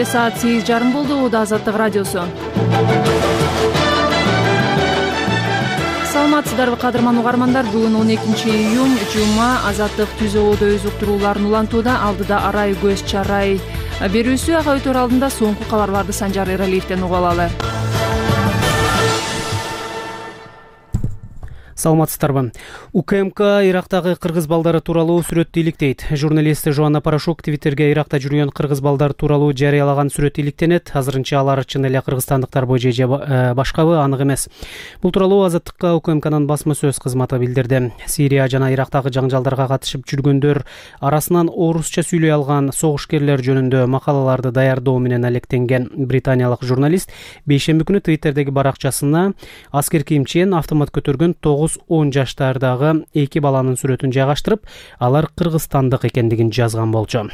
Кечте саат 8:30 болду. Ууда Азаттык радиосу. Саламатсыздарбы кадырман угармандар? Бүгүн 12-июнь жума. Азаттык түз абада өз уктурууларын улантууда. Алдыда арай көз чарай берүүсү. Ага өтөр алдында соңку кабарларды Санжар Эралиевден угуп алалы. Саламатсыздарбы. УКМК Ирактагы кыргыз балдары тууралуу сүрөттү иликтейт. Журналист Жоанна Порошок Твиттерге Иракта жүргөн кыргыз балдар тууралуу жарыялаган сүрөт иликтенет. Азырынча алар чын эле кыргызстандыктарбы же башкабы анык эмес. Бул тууралуу Азаттыкка УКМКнын басма сөз кызматы билдирди. Сирия жана Ирактагы жаңжалдарга катышып жүргөндөр арасынан орусча сүйлөй алган согушкерлер жөнүндө макалаларды даярдоо менен алектенген британиялык журналист бейшемби күнү Твиттердеги баракчасына аскер кийимчен автомат көтөргөн 9-10 жаштардагы эки баланын сүрөтүн жайгаштырып, алар кыргызстандык экендигин жазган болчу.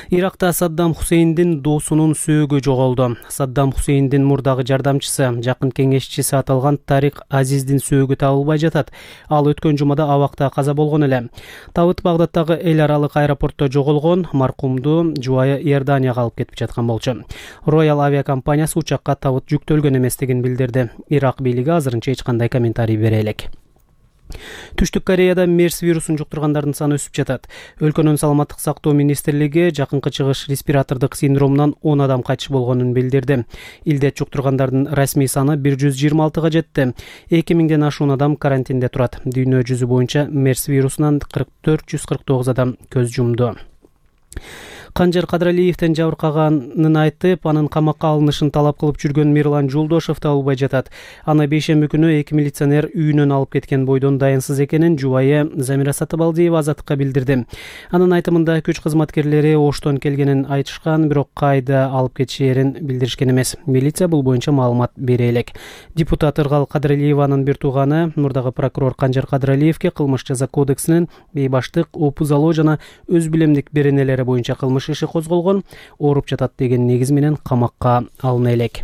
Иракта Саддам Хусейндин досунун сөөгү жоголду. Саддам Хусейндин мурдагы жардамчысы, жакын кеңешчиси аталган Тарик Азиздин сөөгү табылбай жатат. Ал өткөн жумада абакта каза болгон эле. Табыт Багдадтагы эл аралык аэропортто жоголгон, маркумду жубайы Иорданияга алып кетип жаткан болчу. Royal авиакомпаниясы учакка табыт жүктөлгөн эместигин билдирди. Ирак бийлиги азырынча эч кандай комментарий бере элек. Түштүк Кореяда мерс вирусун жуктургандардын саны өсүп жатат. Өлкөнүн саламаттык сактоо министрлиги жакынкы чыгыш респиратордук синдромунан 10 адам кайтыш болгонун билдирди. Илдет жуктургандардын расмий саны 126га жетти. 2000ден ашуун адам карантинде турат. Дүйнө жүзү боюнча мерс вирусунан 449 адам көз жумду. Канжар Кадыралиевден жабыркаганын айтып, анын камакка алынышын талап кылып жүргөн Мирлан Жолдошов табылбай жатат. Аны бейшемби күнү эки милиционер үйүнөн алып кеткен бойдон дайынсыз экенин жубайы Замира Сатыбалдиева Азаттыкка билдирди. Анын айтымында күч кызматкерлери Оштон келгенин айтышкан, бирок кайда алып кетишерин билдиришкен эмес. Милиция бул боюнча маалымат бере элек. Депутат Ыргал Кадыралиеванын бир тууганы мурдагы прокурор Канжар Кадыралиевге кылмыш жаза кодексинин бейбаштык, опузалоо жана өз билемдик беренелери боюнча кылмыш иши козголгон, ооруп жатат деген негиз менен камакка алына элек.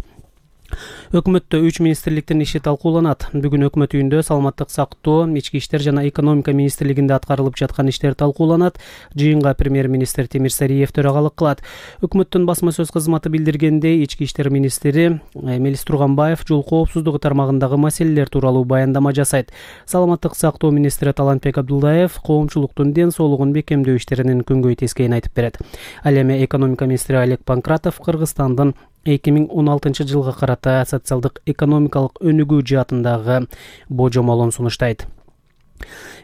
Өкмөттө 3 министрликтин иши талкууланат. Бүгүн өкмөт үйүндө саламаттык сактоо, ички иштер жана экономика министрлигинде аткарылып жаткан иштер талкууланат. Жыйынга премьер-министр Темир Сариев төрагалык кылат. Өкмөттүн басма сөз кызматы билдиргендей, ички иштер министри Мелис Турганбаев жол коопсуздугу тармагындагы маселелер тууралуу баяндама жасайт. Саламаттык сактоо министри Талантбек Абдуллаев коомчулуктун ден соолугун бекемдөө иштеринин күнгөй тескейин айтып берет. Ал эми экономика министри Олег Панкратов Кыргызстандын 2016 жылга карата социалдык экономикалык өнүгүү жаатындагы божомолун сунуштайт.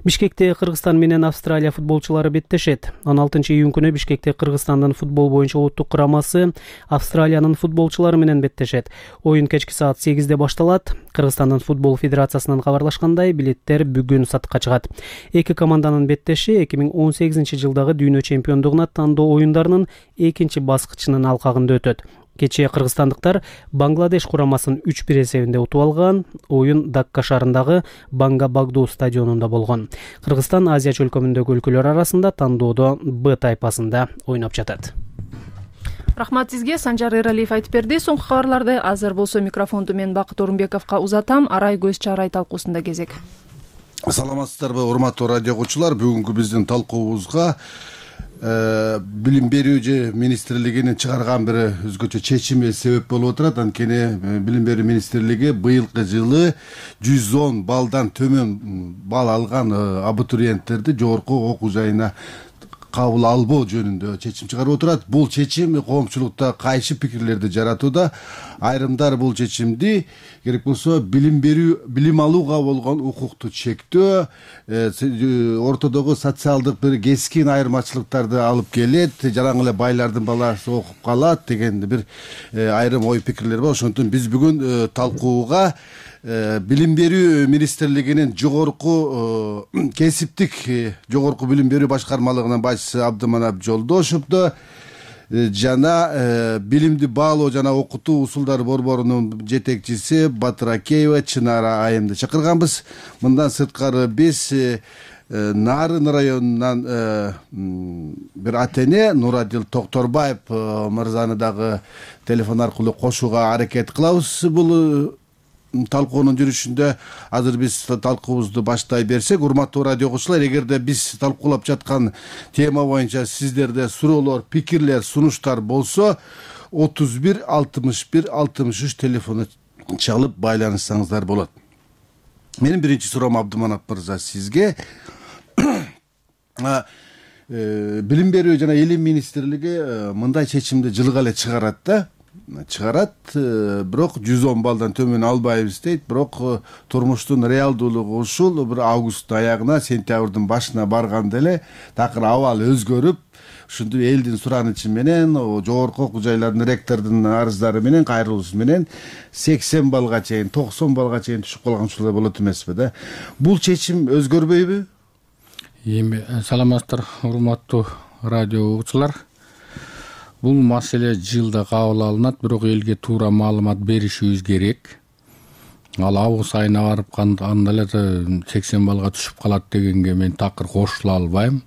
Бишкекте Кыргызстан менен Австралия футболчулары беттешет. 16-июнь күнү Бишкекте Кыргызстандын футбол боюнча улуттук курамасы Австралиянын футболчулары менен беттешет. Оюн кечки саат 8-де башталат. Кыргызстандын футбол федерациясынан кабарлашкандай, билеттер бүгүн сатыкка чыгат. Эки команданын беттеши 2018 жылдагы дүйнө чемпиондугуна тандоо оюндарынын экинчи баскычынын алкагында өтөт. Кечээ кыргызстандыктар Бангладеш курамасын 3-1 эсебинде утуп алган. Оюн Дакка шаарындагы Банга Багду стадионунда болгон. Кыргызстан Азия чөлкөмүндөгү өлкөлөр арасында тандоодо Б тайпасында ойноп жатат. Рахмат сизге, Санжар Эралиев айтып берди. Соңку кабарларды азыр болсо микрофонду мен Бакыт Орунбековго узатам. Арай көз чарай талкуусунда кезек. Саламатсыздарбы, урматтуу радио окуучулар. Бүгүнкү биздин талкуубузга билим берүү же министрлигинин чыгарган бир өзгөчө чечими себеп болуп отурат. Анткени билим берүү министрлиги быйылкы жылы 110 балдан төмөн бал алган абитуриенттерди жогорку окуу жайына кабыл албоо жөнүндө чечим чыгарып отурат. Бул чечим коомчулукта кайшы пикирлерди жаратууда. Айрымдар бул чечимди керек болсо билим алууга болгон укукту чектөө, ортодогу социалдык бир кескин айырмачылыктарды алып келет, жаран эле байлардын баласы окуп калат деген бир айрым ой пикирлер бар. Ошондуктан биз бүгүн талкууга билим берүү министрлигинин жогорку кесиптик жогорку билим берүү башкармалыгынын башчысы Абдыманап Жолдошовду жана билимди баалоо жана окутуу усулдары борборунун жетекчиси Батыракеева Чынара айымды чакырганбыз. Мындан сырткары биз Нарын районунан бир атене Нурадил Токторбаев мырзаны дагы телефон аркылуу кошууга аракет кылабыз. Бул талкуунун жүрүшүндө азыр биз талкуубузду баштай берсек, урматтуу радио окуучулар, эгерде биз талкуулап жаткан тема боюнча сиздерде суроолор, пикирлер, сунуштар болсо 31 61 63 телефону чалып байланышсаңыздар болот. Менин биринчи суроом, Абдыманап мырза, сизге билим берүү жана илим министрлиги мындай чечимди жылга эле чыгарат, бирок 110 баллдан төмөн албайбыз дейт. Бирок турмуштун реалдуулугу ушул, бир августтун аягына, сентябрдын башына барганда эле такыр абал өзгөрүп, ушинтип элдин суранычы менен, жогорку окуу жайлардын ректордун арыздары менен, кайрылуусу менен 80 баллга чейин, 90 баллга чейин түшүп калган ушулай болот эмеспи да? Бул чечим өзгөрбөйбү? Эми саламатсыздар, урматтуу радио угуучулар. Бул маселе жылда кабыл алынат, бирок элге туура маалымат беришибиз керек. Ал август айына барып анда эле 80 баллга түшүп калат дегенге мен такыр кошула албайм.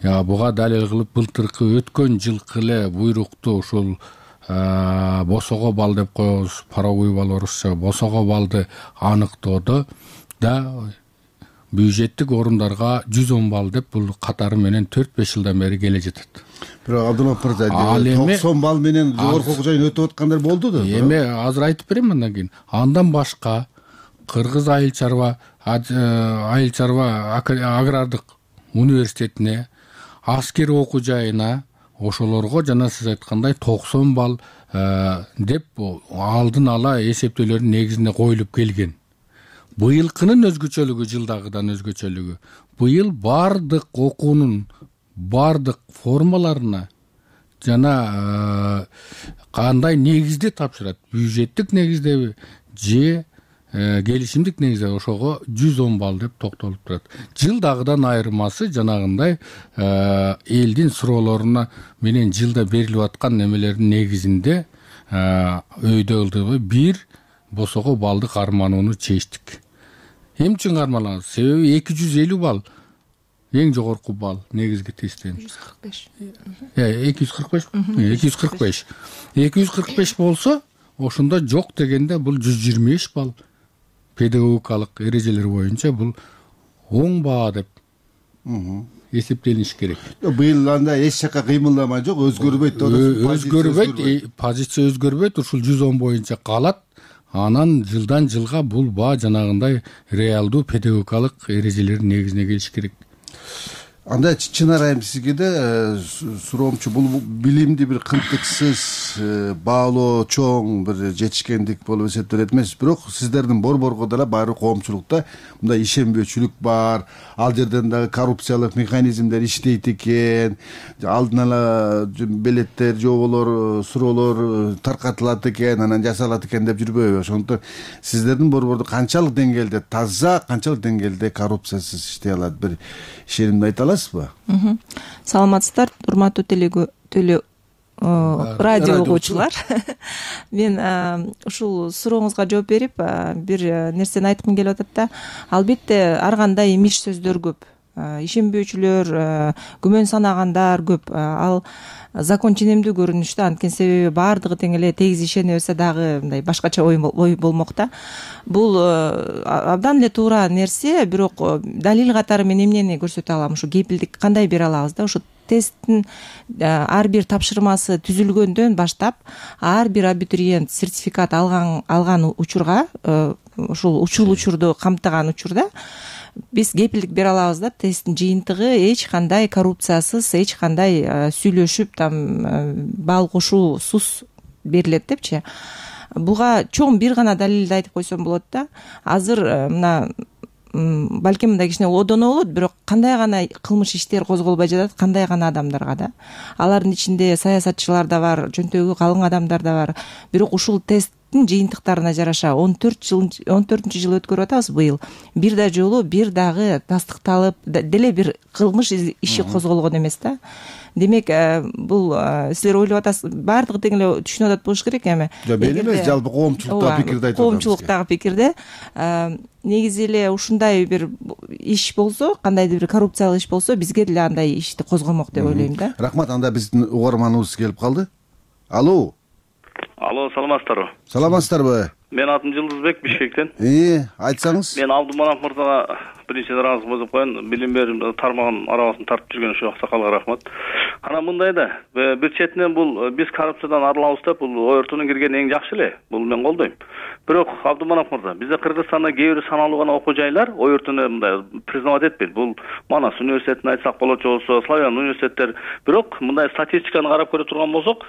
Буга далил кылып былтыркы өткөн жылкы эле буйрукту ушул босого балл деп коебуз, паровой балл орусча, босого баллды аныктоодо да бюджеттик орундарга 110 балл деп бул катары менен 4-5 жылдан бери келе жатат. Бирок Абдулов мырза, 90 балл менен жогорку окуу жайын өтүп аткандар болду да. Эми азыр айтып берем андан кийин. Андан башка Кыргыз айыл чарба агрардык университетине, аскер окуу жайына, ошолорго жана сиз айткандай 90 балл деп алдын ала эсептөөлөрдүн негизинде коюлуп келген. Быйылкынын өзгөчөлүгү жылдагыдан өзгөчөлүгү. Быйыл бардык окуунун бардык формаларына жана кандай негизде тапшырат, бюджеттик негиздеби же келишимдик негизде, ошого 110 балл деп токтолуп турат. Жылдагыдан айырмасы жанагындай элдин суроолоруна менен жылда берилип аткан немелердин негизинде өйдөлдү. Бир босого баллды карманууну чечтик. Эмне үчүн кармалаганбыз? Себеби 250 балл эң жогорку балл негизги тесттен. 245. 245 болсо, ошондо жок дегенде бул 125 балл педагогикалык эрежелер боюнча бул оң баа деп эсептелиш керек. Быйыл анда эч жака кыймылдамай жок, өзгөрбөйт деп атасыз. Өзгөрбөйт, позиция өзгөрбөйт, ушул 110 боюнча калат. Анан жылдан жылга бул баа жанагындай реалдуу педагогикалык эрежелердин негизине келиш керек. Анда чынарайым сизге да суроомчу, бул билимди бир кынтыксыз баалоо чоң бир жетишкендик болуп эсептелет эмес. Бирок сиздердин борборго дагы баары коомчулукта мындай ишенбөөчүлүк бар, ал жерден дагы коррупциялык механизмдер иштейт экен, алдын ала белеттер, жоболор, суроолор таркатылат экен, анан жасалат экен деп жүрбөйбү? Ошондуктан сиздердин борбордо канчалык деңгээлде таза, канчалык деңгээлде коррупциясыз иштей алат, бир ишенимди айта аласызбы? Саламатсыздар, урматтуу радио угуучулар. Мен ушул сурооңузга жооп берип, бир нерсени айткым келип атат да. Албетте ар кандай имиш сөздөр көп, ишенбөөчүлөр, күмөн санагандар көп. Ал закон ченемдүү көрүнүштө, анткени себеби баардыгы тең эле тегиз ишене берсе дагы мындай башкача ой болмок да. Бул абдан эле туура нерсе, бирок далил катары мен эмнени көрсөтө алам? Ушу кепилдик кандай бере алабыз да? Ушу тесттин ар бир тапшырмасы түзүлгөндөн баштап ар бир абитуриент сертификат алган учурга, ушул учурду камтыган учурда биз кепилдик бере алабыз да, тесттин жыйынтыгы эч кандай коррупциясыз, эч кандай сүйлөшүп там балл кошуусуз берилет депчи. Буга чоң бир гана далилди айтып койсом болот да. Азыр мына балким мындай кичине одоно болот, бирок кандай гана кылмыш иштер козголбой жатат, кандай гана адамдарга да. Алардын ичинде саясатчылар да бар, жөнтөгү калың адамдар да бар. Бирок ушул тесттин жыйынтыктарына жараша 14-жыл өткөрүп атабыз быйыл. Бир да жолу бир дагы тастыкталып деле бир кылмыш иши козголгон эмес да. Демек, бул силер ойлоп атасыз, баардыгы тең эле түшүнүп атат болуш керек эми. Жок, эмес, жалпы коомчулуктагы пикирди айтып атабыз. Коомчулуктагы пикирде негизи эле ушундай бир иш болсо, кандайдыр бир коррупциялык иш болсо, бизге деле андай ишти козгомок деп ойлойм да. Рахмат, анда биздин угарманыбыз келип калды. Алло, саламатсыздарбы? Саламатсыздарбы? Менин атым Жылдызбек, Бишкектен. Айтсаңыз. Мен Абдуманап мырзага биринчиден ыраазы болуп коеюн. Билим берүү тармагынын арабасын тартып жүргөн ушу аксакалга рахмат. Анан мындай да, бир четинен бул биз коррупциядан арылабыз деп, бул ОРТнун киргени эң жакшы эле. Бул мен колдойм. Бирок Абдуманап мырза, бизде Кыргызстанда кээ бир саналуу гана окуу жайлар ОРТну мындай признавать этпейт. Бул Манас университетин айтсак болот, болсо Славян университеттер. Бирок мындай статистиканы карап көрө турган болсок,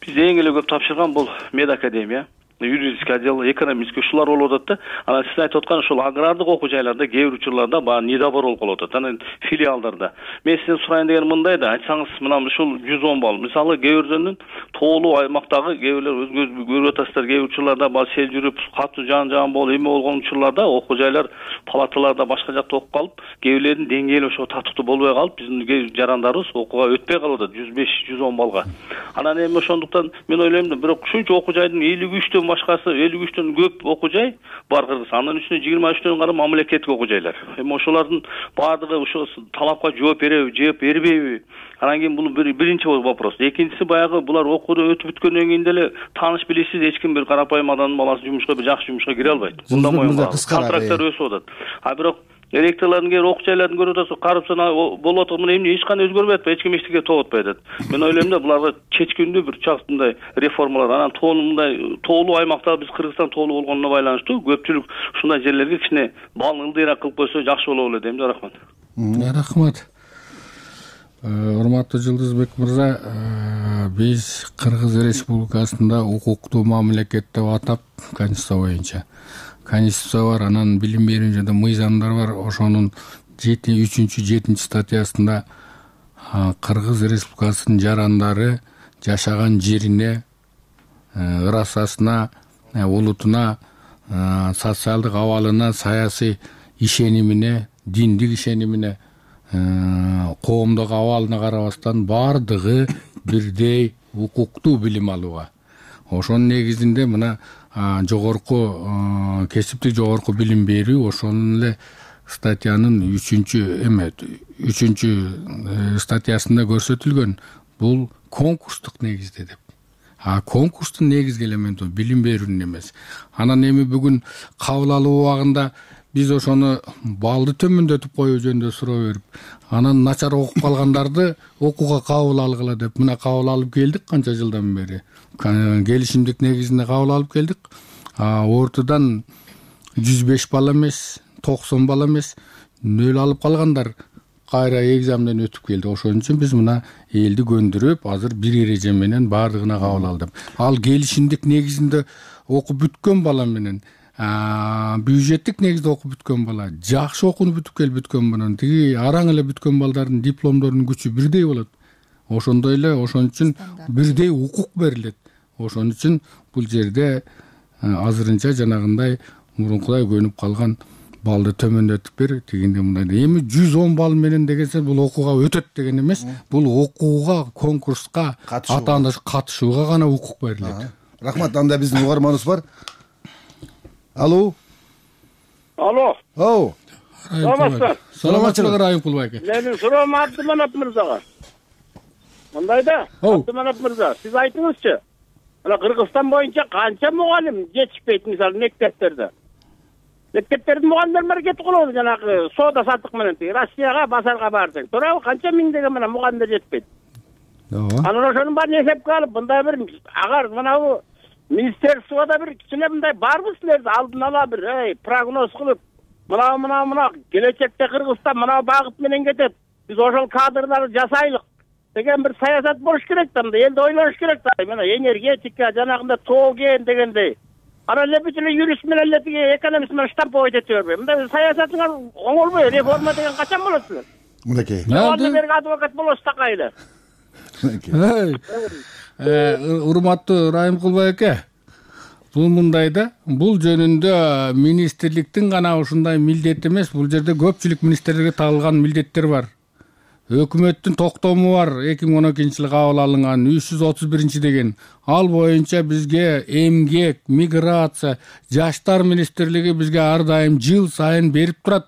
бизде эң эле көп тапшырган бул медакадемия, юридический отдел, экономический ушулар болуп атат да. Анан сиз айтып аткан ушул агрардык окуу жайларда кээ бир учурларда баягы недобор болуп калып атат. Анан филиалдарда. Мен сизден сурайын деген мындай да, айтсаңыз мына ушул 110 балл. Мисалы кээ бирден тоолуу аймактагы кээ бирлер өзүңүз көрүп атасыздар, кээ бир учурларда баягы сел жүрүп, катуу жан болуп, эме болгон учурларда окуу жайлар палаталарда башка жакта окуп калып, кээ бирлердин деңгээли ошо татыктуу болбой калып, биздин кээ жарандарыбыз окууга өтпөй калып атат 105-110 баллга. Анан эми ошондуктан мен ойлойм да, бирок ушунча окуу жайдын 53 башкасы 53төн көп окуу жай бар Кыргызстанда. Анын үстүнө 23төн кара мамлекеттик окуу жайлар. Эми ошолордун баардыгы ошо талапка жооп береби, жооп бербейби? Анан кийин бул биринчи вопрос. Экинчиси баягы булар окууду өтүп бүткөндөн кийин деле тааныш билишсиз эч ким бир карапайым адамдын баласы жумушка, бир жакшы жумушка кире албайт. Мындан моюн контракттар өсүп атат. А бирок ректорлордун кээ бир окуу жайларын көрүп атасыз, коррупция болуп атат, мына эмне эч кандай өзгөрбөй атпайбы, эч ким эчтеке топ атпай атат. Мен ойлойм да, буларга чечкиндүү бир чактай реформалар, анан мындай тоолуу аймакта биз Кыргызстан тоолуу болгонуна байланыштуу көпчүлүк ушундай жерлерге кичине балын ылдыйраак кылып койсо жакшы болот эле дейм да. Рахмат. Рахмат. Урматтуу Жылдызбек мырза, биз Кыргыз Республикасында укуктуу мамлекет деп атап, Конституция боюнча Конституция бар, анан билим берүү жана мыйзамдар бар. Ошонун 3-7 статьясында Кыргыз Республикасынын жарандары жашаган жерине, ырасасына, улутуна, социалдык абалына, саясий ишенимине, диндик ишенимине, коомдук абалына карабастан бардыгы бирдей укуктуу билим алууга. Ошонун негизинде мына жогорку кесиптик жогорку билим берүү ошонун эле статьянын 3 статьясында көрсөтүлгөн. Бул конкурстук негизде деп. Конкурстун негизги элементи билим берүүнүн эмес. Анан эми бүгүн кабыл алуу убагында биз ошону балды төмөндөтүп коюу жөнүндө суроо берип, анан начар окуп калгандарды окууга кабыл алгыла деп мына кабыл алып келдик канча жылдан бери. Келишимдик негизинде кабыл алып келдик. Ортодан 105 балл эмес, 90 балл эмес, нөл алып калгандар кайра экзаменден өтүп келди. Ошон үчүн биз мына элди көндүрүп, азыр бир эреже менен бардыгына кабыл алдык. Ал келишимдик негизинде окуп бүткөн бала менен бюджеттик негизде окуп бүткөн бала, жакшы окууну бүткөн менен тиги араң эле бүткөн балдардын дипломдорунун күчү бирдей болот. Ошондой эле, ошон үчүн бирдей укук берилет. Ошон үчүн бул жерде азырынча жанагындай мурункудай көнүп калган балды төмөндөтүп бер, тигинде мындай. Эми 110 балл менен дегенсе бул окууга өтөт деген эмес. Бул окууга, конкурска, атаанда катышууга гана укук берилет. Рахмат. Анда биздин угарманыбыз бар. Алло. Саламатчылык Райымкул байке. Менин суроом Абдуманап мырзага. Мындай да, Абдуманап мырза, сиз айтыңызчы. Мына Кыргызстан боюнча канча мугалим жетишпейт, мисалы мектептерде. Мектептердин мугалимдери кетип калат, жанагы соода саттык менен Россияга, базарга баарсаң. Туурабы? Канча миңдеген мына мугалимдер жетпейт. Анан ошонун баарын эсепке алып, мындай бир агар мына министерствода бир кичине мындай барбы силерде алдын ала бир прогноз кылып, мына келечекте Кыргызстан мына багыт менен кетет. Биз ошол кадрларды жасайлык деген бир саясат болуш керек да, элди ойлош керек да. Мына энергетика, жанагында тооген дегендей. Анан эле бүт эле юрист менен эле тиги экономист менен штамповать ете бербей. Мындай саясатыңар оңолбой, реформа деген качан болот силер? Мынакей. Анда берги адвокат болосуз такайлы. Урматтуу Райымкул байке, бул мындай да, бул жөнүндө министрликтин гана ушундай милдети эмес, бул жерде көпчүлүк министрликке тагылган милдеттер бар. Өкмөттүн токтому бар, 2012-жылы кабыл алынган 331 деген. Ал боюнча бизге эмгек, миграция, жаштар министрлиги бизге ар дайым жыл сайын берип турат,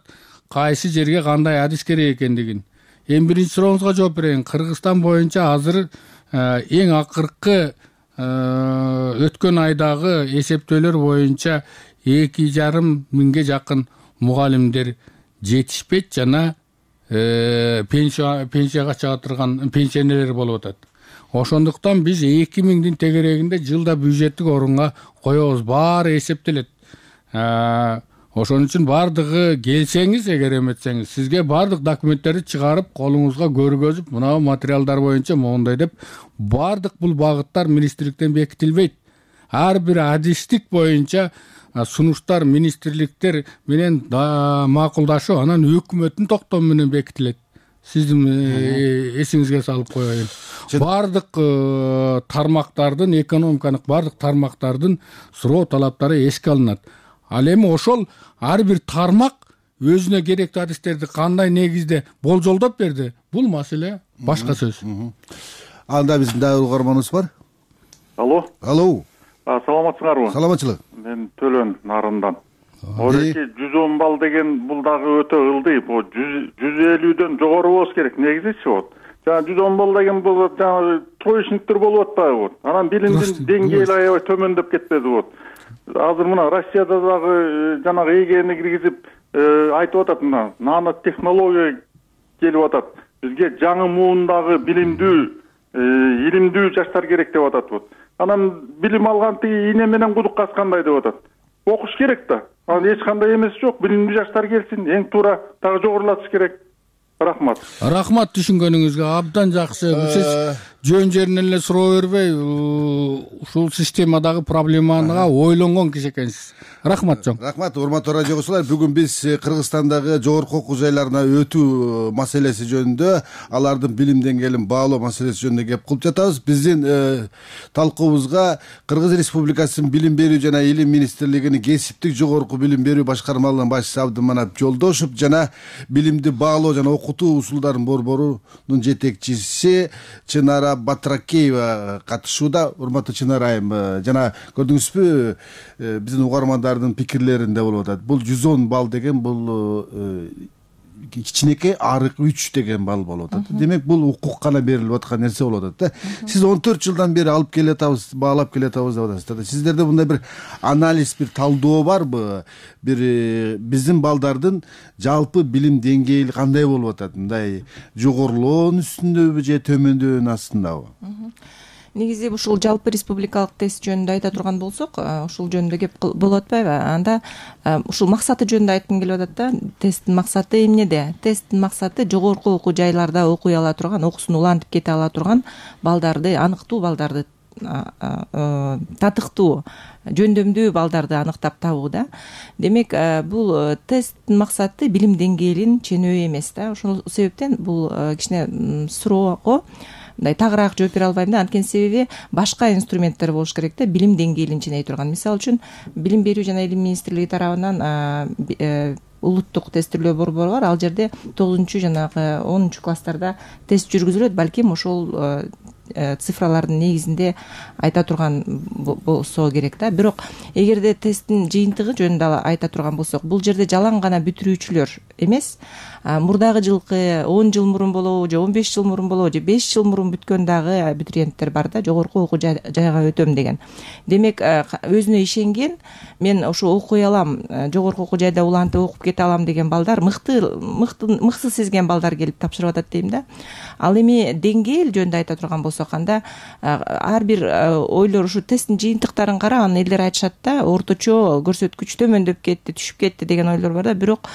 кайсы жерге кандай адис керек экендигин. Эми биринчи сурооңузга жооп берейин. Кыргызстан боюнча азыр эң акыркы өткөн айдагы эсептөөлөр боюнча 2,5 миңге жакын мугалимдер жетишпейт жана пенсияга чыга турган пенсионерлер болуп атат. Ошондуктан биз 2 миңдин тегерегинде жылда бюджеттик орунга коебуз, баары эсептелет. Ошон үчүн бардыгы келсеңиз, эгер эметсеңиз, сизге бардык документтерди чыгарып колуңузга көргөзүп, мына материалдар боюнча моундай деп, бардык бул багыттар министрликтен бекитилбейт. Ар бир адистик боюнча сунуштар министрликтер менен макулдашуу, анан өкмөттүн токтому менен бекитилет. Сиздин эсиңизге салып коеюн. Бардык тармактардын, экономиканын бардык тармактардын суроо талаптары эске алынат. Ал эми ошол ар бир тармак өзүнө керектүү адистерди кандай негизде болжолдоп берди, бул маселе башка сөз. Анда биздин дагы угарманыбыз бар. Алло. Алло. Саламатсыңарбы? Саламатчылык. Мен Төлөн Нарындан. Ореки 110 балл деген бул дагы өтө ылдый. Бу 150дөн жогору болуш керек. Негизичи вот. Жана 110 балл деген бул жана троечниктер болуп атпайбы вот. Анан билимдин деңгээли аябай төмөндөп кетпеди вот. Азыр мына Россияда дагы жанагы эгени киргизип айтып атат, мына нано технология келип атат. Бизге жаңы муундагы билимдүү, илимдүү жаштар керек деп атат вот. Анан билим алган тиги ийне менен кудук каскандай деп атат. Окуш керек да. Анан эч кандай эмеси жок. Билимдүү жаштар келсин, эң туура дагы жогорулатыш керек. Рахмат. Рахмат түшүнгөнүңүзгө, абдан жакшы. Сиз жөн жеринен эле суроо бербей, ушул системадагы проблемага ойлонгон киши экенсиз. Рахмат чоң. Рахмат, урматтуу радио окуучулар. Бүгүн биз Кыргызстандагы жогорку окуу жайларына өтүү маселеси жөнүндө, алардын билим деңгээлин баалоо маселеси жөнүндө кеп кылып жатабыз. Биздин талкуубузга Кыргыз Республикасынын Билим берүү жана Илим министрлигинин кесиптик жогорку билим берүү башкармалыгынын башчысы Абдыманап Жолдошов жана билимди баалоо жана окутуу усулдарын борборунун жетекчиси Чынара Батракеева катышууда. Урматтуу Чынара айым, жана көрдүңүзбү, биздин угармандардын пикирлеринде болуп атат. Бул 110 балл деген бул кичинекей арык 3 деген балл болуп атат. Демек бул укук гана берилип аткан нерсе болуп атат да. Сиз 14 жылдан бери алып келе атабыз, баалап келе атабыз деп атасыз. Сиздерде мындай бир анализ, бир талдоо барбы? Бир биздин балдардын жалпы билим деңгээли кандай болуп атат? Мындай жогорулоонун үстүндөбү же төмөндөөнүн астындабы? Негизи ушул жалпы республикалык тест жөнүндө айта турган болсок, ушул жөнүндө кеп болуп атпайбы? Анда ушул максаты жөнүндө айткым келип атат да. Тесттин максаты эмнеде? Тесттин максаты жогорку окуу жайларда окуй ала турган, окуусун улантып кете ала турган балдарды аныктоо, балдарды татыктуу, жөндөмдүү балдарды аныктап табуу да. Демек, бул тесттин максаты билим деңгээлин ченөө эмес да. Ошол себептен бул кичине суроого мындай тагыраак жооп бере албайм да. Анткени себеби башка инструменттер болуш керек да, билим деңгээлин ченей турган. Мисалы үчүн Билим берүү жана Илим министрлиги тарабынан улуттук тестирлөө борбору бар. Ал жерде 9 жанагы 10 класстарда тест жүргүзүлөт. Балким ошол цифралардын негизинде айта турган болсо керек да. Бирок эгерде тесттин жыйынтыгы жөнүндө айта турган болсок, бул жерде жалаң гана бүтүрүүчүлөр эмес, мурдагы жылкы 10 жыл мурун болобу, же 15 жыл мурун болобу, же 5 жыл мурун бүткөн дагы абитуриенттер бар да, жогорку окуу жайга өтөм деген. Демек, өзүнө ишенген, мен ошо окуй алам, жогорку окуу жайда улантып окуп кете алам деген балдар, мыкты сезген балдар келип тапшырып атат дейм да. Ал эми деңгээл жөнүндө айта турган болсок, анда ар бир ойлор ушу тесттин жыйынтыктарын карап, анан элдер айтышат да, орточо көрсөткүч төмөндөп кетти, түшүп кетти деген ойлор бар да. Бирок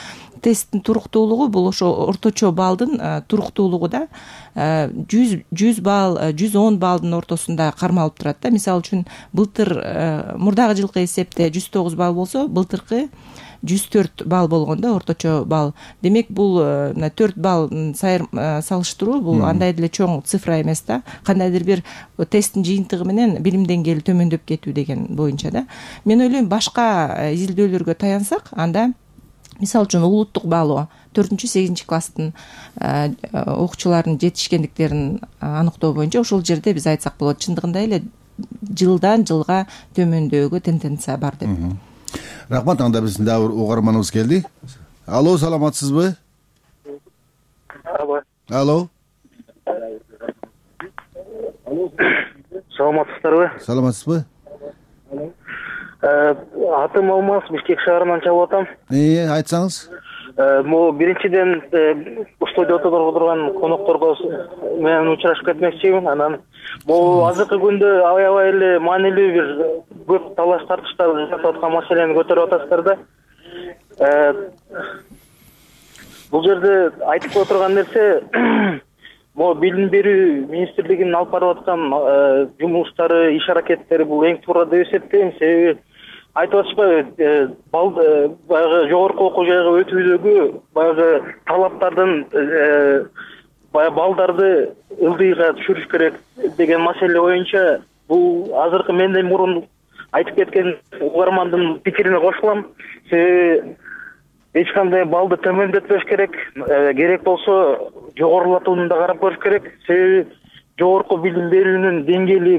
тесттин туруктуулугу бул ошо орточо балдын туруктуулугу да. 100 балл, 110 балдын ортосунда кармалып турат да. Мисалы үчүн былтыр мурдагы жылкы эсепте 109 балл болсо, былтыркы 104 балл болгон да, орточо балл. Демек, бул 4 балл салыштыруу, бул андай деле чоң цифра эмес да. Кандайдыр бир тесттин жыйынтыгы менен билим деңгээли төмөндөп кетүү деген боюнча да. Мен ойлойм, башка изилдөөлөргө таянсак, анда мисалы үчүн улуттук баалоо 4-8 класстын окуучулардын жетишкендиктерин аныктоо боюнча ошол жерде биз айтсак болот, чындыгында эле жылдан жылга төмөндөөгө тенденция бар деп. Рахмат. Анда биздин дагы угарманыбыз келди. Алло, саламатсызбы? Алло. Алло. саламатсыздарбы? Саламатсызбы? Атым Алмаз, Бишкек шаарынан чалып атам. Айтсаңыз. Могу биринчиден студияда отурган конокторго менен учурашып кетмекчимин. Анан могу азыркы күндө аябай эле маанилүү бир көп талаш тартыштар жасап аткан маселени көтөрүп атасыздар да. Бул жерде айтып отурган нерсе могу билим берүү министрлигинин алып барып аткан жумуштары, иш аракеттери бул эң туура деп эсептейм. Себеби айтып атышпайбы, баягы жогорку окуу жайга өтүүдөгү баягы талаптардын баягы балдарды ылдыйга түшүрүш керек деген маселе боюнча бул азыркы менден мурун айтып кеткен угармандын пикирине кошулам. Себеби эч кандай балды төмөндөтпөш керек. Керек болсо жогорулатууну да карап көрүш керек. Себеби жогорку билим берүүнүн деңгээли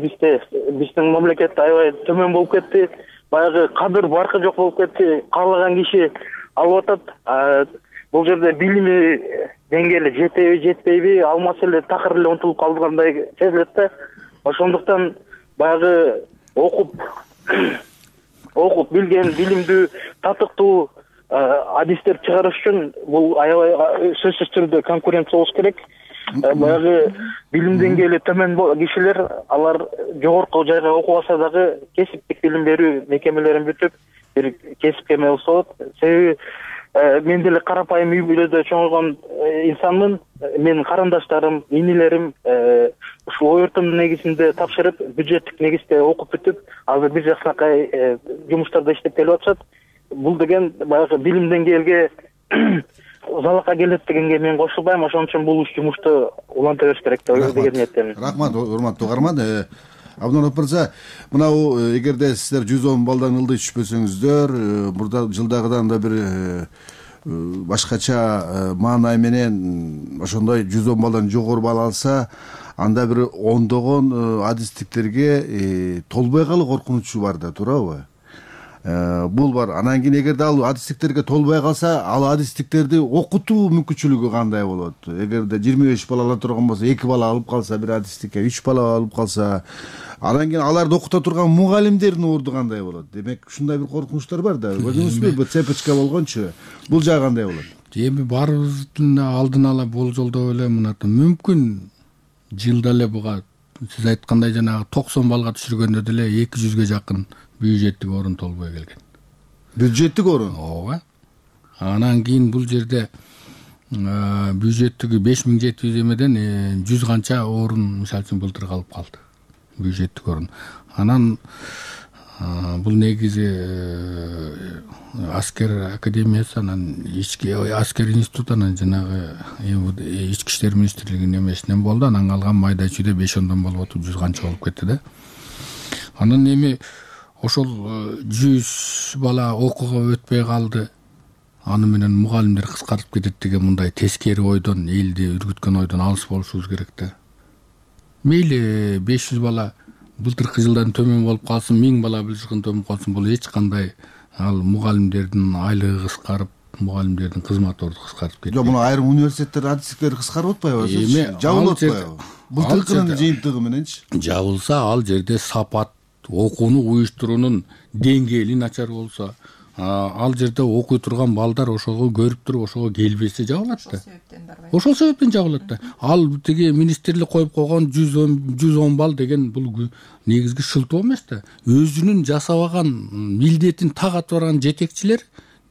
биздин мамлекетте аябай төмөн болуп кетти. Баягы кадыр баркы жок болуп кетти. Каалаган киши алып атат. Бул жерде билими деңгээли жетеби, жетпейби, ал маселе такыр эле унутулуп калгандай сезилет да. Ошондуктан баягы окуп билген, билимдүү, татыктуу адистер чыгарыш үчүн бул аябай сөзсүз түрдө конкуренция болуш керек. Баягы билим деңгээли төмөн кишилер алар жогорку жайга окубаса дагы кесиптик билим берүү мекемелерин бүтүп бир кесипке эме болсо болот. Себеби мен деле карапайым үй бүлөдө чоңойгон инсанмын. Менин карындаштарым, инилерим ушул ой өртүмдүн негизинде тапшырып, бюджеттик негизде окуп бүтүп, азыр бир жаксынакай жумуштарда иштеп келип атышат. Бул деген баягы билим деңгээлге залакка келет дегенге мен кошулбайм. Ошон үчүн бул жумушту уланта бериш керек деген ниеттемин. Рахмат, урматтуу угарман. Абдунов мырза, мынау эгерде сиздер 110 балдан ылдый түшпөсөңүздөр, мурда жылдагыдан да бир башкача маанай менен ошондой 110 балдан жогору бал алса, анда бир ондогон адистиктерге толбой калуу коркунучу бар да, туурабы? Бул бар. Анан кийин эгерде ал адистиктерге толбой калса, ал адистиктерди окутуу мүмкүнчүлүгү кандай болот? Эгерде 25 бала ала турган болсо, 2 бала алып калса бир адистикке, 3 бала алып калса, анан кийин аларды окута турган мугалимдердин орду кандай болот? Демек, ушундай бир коркунучтар бар да. Көрдүңүзбү? Бул цепочка болгончу. Бул жагы кандай болот? Эми баарыбыздын алдын ала болжолдоп эле мынаты мүмкүн жылда эле буга сиз айткандай жанагы 90 балга түшүргөндө деле 200ге жакын бюджеттик орун толбой келген. Бюджеттик орун? Ооба. Анан кийин бул жерде бюджеттиги 5700 эмеден 100 канча орун мисалы үчүн былтыр калып калды. Бюджеттик орун. Анан бул негизи аскер академиясы, анан ички аскер институту, анан жанагы ички иштер министрлигинин эмесинен болду. Анан калган майда чүйдө 5-10 болуп отуп 100 канча болуп кетти да. Анан эми ошол 100 бала окууга өтпөй калды. Аны менен мугалимдер кыскартып кетет деген мындай тескери ойдон, элди үргүткөн ойдон алыс болушубуз керек да. Мейли 500 бала былтыркы жылдан төмөн болуп калсын, 1000 бала жылдан төмөн калсын, бул эч кандай ал мугалимдердин айлыгы кыскарып, мугалимдердин кызмат орду кыскарып кетти. Жок, муну айрым университеттер адистиктери кыскарып атпайбы? Жабылып атпайбы? Былтыркынын жыйынтыгы мененчи? Жабылса, ал жерде сапат окууну уюштуруунун деңгээли начар болсо, ал жерде окуй турган балдар ошого көрүп туруп ошого келбесе жабылат да. Ошол себептен жабылат да. Ал тиги министрлик коюп койгон 110 балл деген бул негизги шылтоо эмес да. Өзүнүн жасабаган милдетин так атып барган жетекчилер,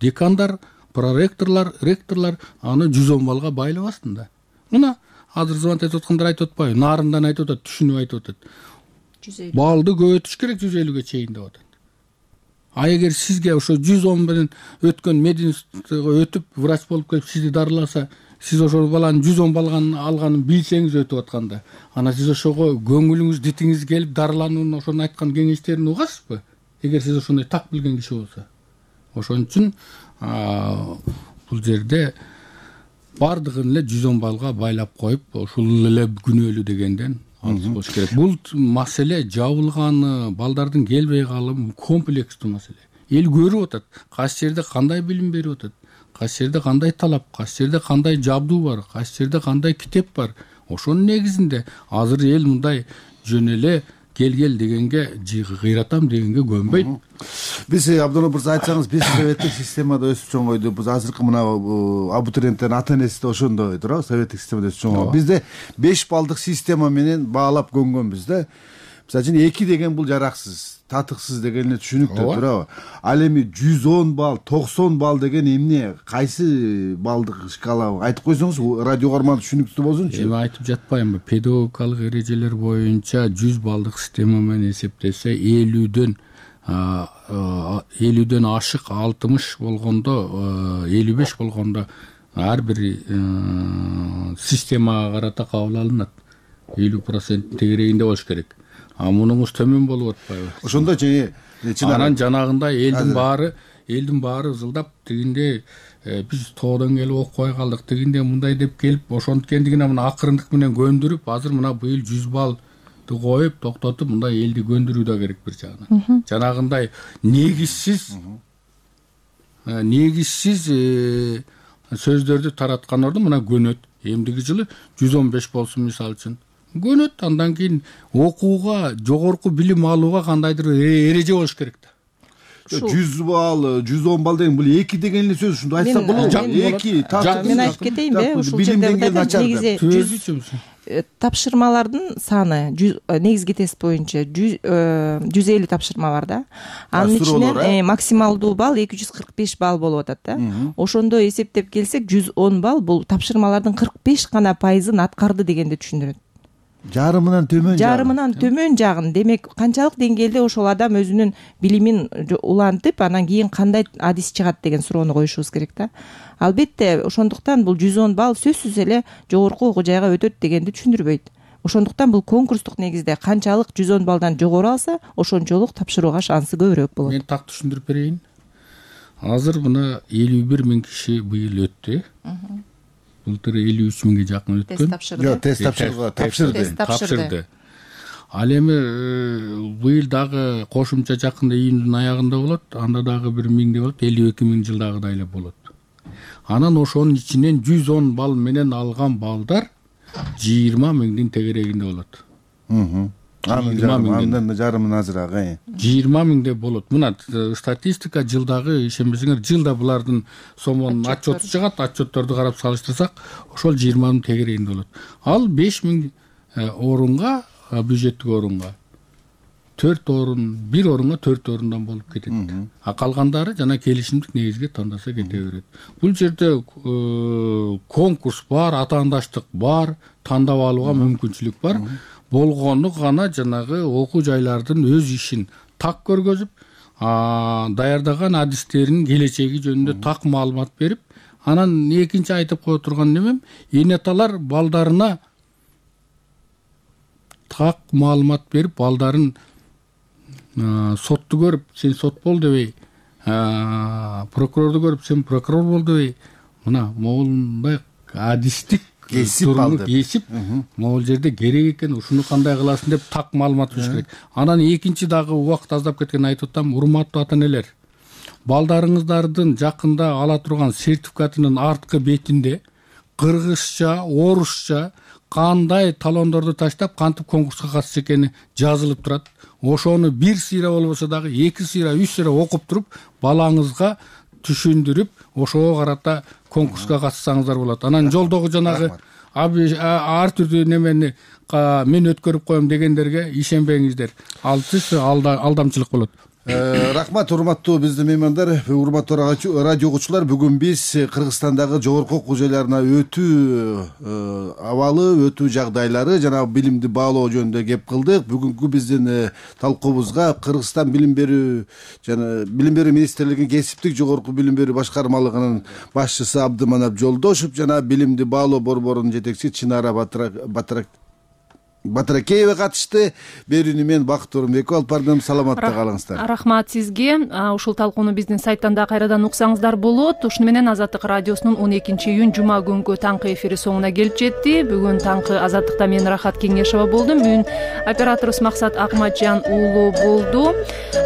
декандар, проректорлор, ректорлор аны 110 балга байлабасын да. Мына азыр звонок айтып аткандар айтып атпайбы? Нарындан айтып атат, түшүнүп айтып атат. Балды көбөйтүш керек 150ге чейин деп атат. А эгер сизге ошо 110 менен өткөн мединститутка өтүп, врач болуп келип сизди дарыласа, сиз ошол баланын 110 балганын алганын билсеңиз өтүп атканда, ана сиз ошого көңүлүңүз, дитиңиз келип дарыланууну ошонун айткан кеңештерин угасызбы? Эгер сиз ошондой так билген киши болсо. Ошон үчүн бул жерде бардыгын эле 110 балга байлап коюп, ошол эле күнөөлүү дегенден алыс болуш керек. Бул маселе жабылганы, балдардын келбей калуу комплекстүү маселе. Эл көрүп атат, кайсы жерде кандай билим берип атат, кайсы жерде кандай талап, кайсы жерде кандай жабдуу бар, кайсы жерде кандай китеп бар. Ошонун негизинде азыр эл мындай жөн эле кел дегенге кыйратам дегенге көнбөйт. Биз Абдулла мырза айтсаңыз, биз советтик системада өсүп чоңойдук. Биз азыркы мына абитуриенттердин ата-энеси да ошондой туурабы, советтик системада өсүп чоңойдук. Бизде 5 баллдык система менен баалап көнгөнбүз да. Мисалы үчүн 2 деген бул жараксыз, татыксыз деген эле түшүнүктүү туурабы? Ал эми 110 балл, 90 балл деген эмне? Кайсы балдык шкала? Айтып койсоңуз, радио угарман түшүнүктүү болсунчу. Эми айтып жатпайынбы? Педагогикалык эрежелер боюнча 100 баллдык система менен эсептесе 50дөн ашык 60 болгондо, 55 болгондо ар бир системага карата кабыл алынат. 50% тегерегинде болуш керек. Мунуңуз төмөн болуп атпайбы? Ошондо анан жанагындай элдин баары ызылдап тигинде биз тоодон келип окубай калдык, тигинде мындай деп келип ошонткендигине мына акырындык менен көндүрүп, азыр мына быйыл 100 баллды коюп токтотуп мындай элди көндүрүү да керек бир жагынан. Жанагындай негизсиз сөздөрдү тараткан ордун мына көнөт. Эмдиги жылы 115 болсун мисалы үчүн. Көнөт, андан кийин окууга, жогорку билим алууга кандайдыр эреже болуш керек да. 100 балл, 110 балл деген бул 2 деген эле сөз, ушунду айтсак болобу? 2 мен айтып кетейинби? Ушул жерде негизи тапшырмалардын саны негизги тест боюнча 150 тапшырма бар да. Анын ичинен максималдуу балл 245 балл болуп атат да. Ошондо эсептеп келсек 110 балл бул тапшырмалардын 45 гана пайызын аткарды дегенди түшүндүрөт. Жарымынан төмөн жагын. Демек, канчалык деңгээлде ошол адам өзүнүн билимин улантып, анан кийин кандай адис чыгат деген суроону коюшубуз керек да. Албетте, ошондуктан бул 110 балл сөзсүз эле жогорку окуу жайга өтөт дегенди түшүндүрбөйт. Ошондуктан бул конкурстук негизде канчалык 110 баллдан жогору алса, ошончолук тапшырууга шансы көбүрөөк болот. Мен так түшүндүрүп берейин. Азыр мына 51 миң киши быйыл өттү. Былтыр 53 миңге жакын өткөн. Тест тапшырды. Ал эми быйыл дагы кошумча жакында июндун аягында болот, анда дагы 1 миңде болот, 52 миң жылдагыдай эле болот. Анан ошонун ичинен 110 балл менен алган балдар 20 миңдин тегерегинде болот. Андан жарымын азыраак. 20 миңде болот. Мына статистика жылдагы, ишенбесеңер, жылда булардын сомонун отчету чыгат, отчетторду карап салыштырсак, ошол 20 миң тегерегинде болот. Ал 5 миң орунга, бюджеттик орунга 4 орун, 1 орунга 4 орундан болуп кетет. Калгандары жана келишимдик негизге тандаса кете берет. Бул жерде конкурс бар, атаандаштык бар, тандап алууга мүмкүнчүлүк бар. Болгону гана жанагы окуу жайлардын өз ишин так көргөзүп, даярдаган адистеринин келечеги жөнүндө так маалымат берип, анан экинчи айтып кое турган немем, эне аталар балдарына так маалымат берип, балдарын сотту көрүп, сен сот бол дебей, прокурорду көрүп, сен прокурор бол дебей, мына моундай адистик кесип могул жерде керек экен, ушуну кандай кыласың деп так маалымат бериш керек. Анан экинчи дагы убакыт аздап кеткен айтып атам, урматтуу ата-энелер, балдарыңыздардын жакында ала турган сертификатынын арткы бетинде кыргызча, орусча кандай талондорду таштап, кантип конкурска катышчу экени жазылып турат. Ошону 1 сыйра болбосо дагы 2 сыйра, 3 сыйра окуп туруп, балаңызга түшүндүрүп, ошого карата конкурска катышсаңыздар болот. Анан жолдогу жанагы ар түрдүү немени мен өткөрүп коем дегендерге ишенбеңиздер. Ал алдамчылык болот. Рахмат, урматтуу биздин меймандар, урматтуу радио угуучулар. Бүгүн биз Кыргызстандагы жогорку окуу жайларына өтүү абалы, өтүү жагдайлары жана билимди баалоо жөнүндө кеп кылдык. Бүгүнкү биздин талкуубузга Кыргызстан билим берүү жана билим берүү министрлигинин кесиптик жогорку билим берүү башкармалыгынын башчысы Абдыманап Жолдошев жана билимди баалоо борборунун жетекчиси Чынара Батыракеева катышты. Берүүнү мен Бакыт Орунбеков алып бардым. Саламатта калыңыздар. Рахмат сизге. Ушул талкууну биздин сайттан да кайрадан уксаңыздар болот. Ушуну менен Азаттык радиосунун 12-июнь жума күнгү таңкы эфири соңуна келип жетти. Бүгүн таңкы Азаттыкта мен Рахат Кеңешова болдум. Бүгүн операторубуз Максат Акматжан уулу болду.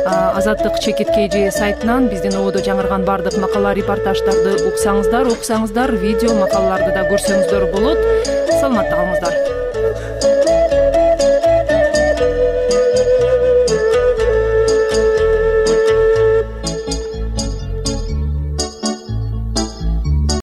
Азаттык ЧКТ сайтынан биздин ободо жаңырган бардык макала репортаждарды уксаңыздар, видео макалаларды да көрсөңүздөр болот. Саламатта калыңыздар.